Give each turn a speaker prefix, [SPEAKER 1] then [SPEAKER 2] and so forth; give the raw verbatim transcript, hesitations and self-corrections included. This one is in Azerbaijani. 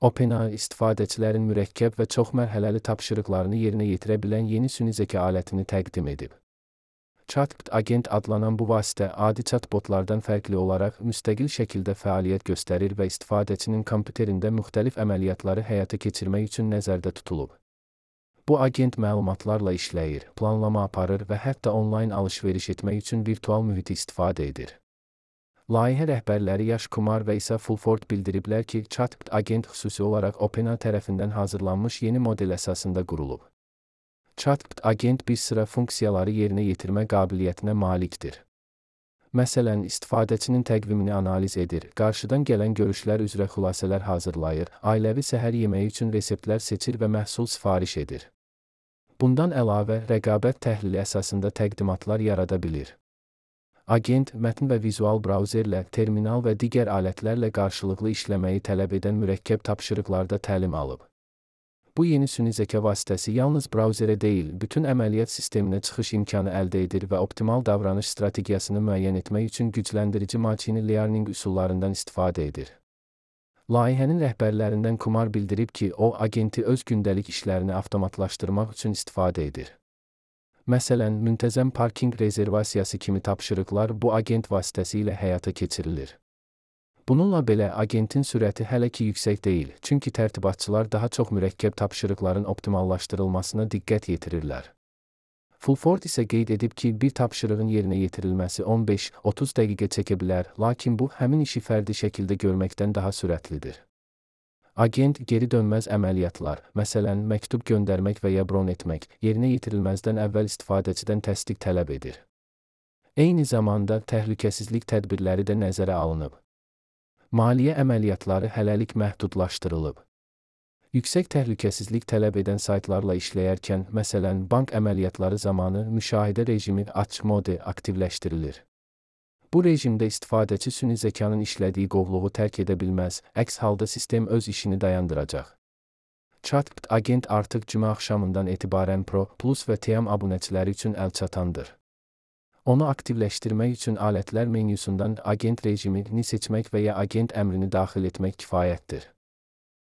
[SPEAKER 1] OpenAI istifadəçilərin mürəkkəb və çoxmərhələli tapşırıqlarını yerinə yetirə bilən yeni süni zəka alətini təqdim edib. ChatGPT Agent adlanan bu vasitə adi chatbotlardan fərqli olaraq müstəqil şəkildə fəaliyyət göstərir və istifadəçinin kompüterində müxtəlif əməliyyatları həyata keçirmək üçün nəzərdə tutulub. Bu agent məlumatlarla işləyir, planlama aparır və hətta onlayn alış-veriş etmək üçün virtual mühiti istifadə edir. Layihə rəhbərləri Yash Kumar və İsa Fulford bildiriblər ki, ChatGPT Agent xüsusi olaraq OpenAI tərəfindən hazırlanmış yeni model əsasında qurulub. ChatGPT Agent bir sıra funksiyaları yerinə yetirmə qabiliyyətinə malikdir. Məsələn, istifadəçinin təqvimini analiz edir, qarşıdan gələn görüşlər üzrə xülasələr hazırlayır, ailəvi səhər yeməyi üçün reseptlər seçir və məhsul sifariş edir. Bundan əlavə, rəqabət təhlili əsasında təqdimatlar yarada bilir. Agent, mətn və vizual brauzerlə, terminal və digər alətlərlə qarşılıqlı işləməyi tələb edən mürəkkəb tapşırıqlarda təlim alıb. Bu yeni süni zəka vasitəsi yalnız brauzerə deyil, bütün əməliyyat sisteminə çıxış imkanı əldə edir və optimal davranış strategiyasını müəyyən etmək üçün gücləndirici machine learning üsullarından istifadə edir. Layihənin rəhbərlərindən Kumar bildirib ki, o, agenti öz gündəlik işlərini avtomatlaşdırmaq üçün istifadə edir. Məsələn, müntəzəm parking rezervasiyası kimi tapşırıqlar bu agent vasitəsilə həyata keçirilir. Bununla belə, agentin sürəti hələ ki yüksək deyil, çünki tərtibatçılar daha çox mürəkkəb tapşırıqların optimallaşdırılmasına diqqət yetirirlər. Fulford isə qeyd edib ki, bir tapşırığın yerinə yetirilməsi on beş otuz dəqiqə çəkə bilər, lakin bu, həmin işi fərdi şəkildə görməkdən daha sürətlidir. Agent geri dönməz əməliyyatlar, məsələn, məktub göndərmək və ya bron etmək, yerinə yetirilməzdən əvvəl istifadəçidən təsdiq tələb edir. Eyni zamanda, təhlükəsizlik tədbirləri də nəzərə alınıb. Maliyyə əməliyyatları hələlik məhdudlaşdırılıb. Yüksək təhlükəsizlik tələb edən saytlarla işləyərkən, məsələn, bank əməliyyatları zamanı müşahidə rejimi açıq mode aktivləşdirilir. Bu rejimdə istifadəçi süni zəkanın işlədiyi qovluğu tərk edə bilməz, əks halda sistem öz işini dayandıracaq. ChatGPT Agent artıq cümə axşamından etibarən Pro, Plus və Team abunəçiləri üçün əlçatandır. Onu aktivləşdirmək üçün alətlər menyusundan agent rejimini seçmək və ya agent əmrini daxil etmək kifayətdir.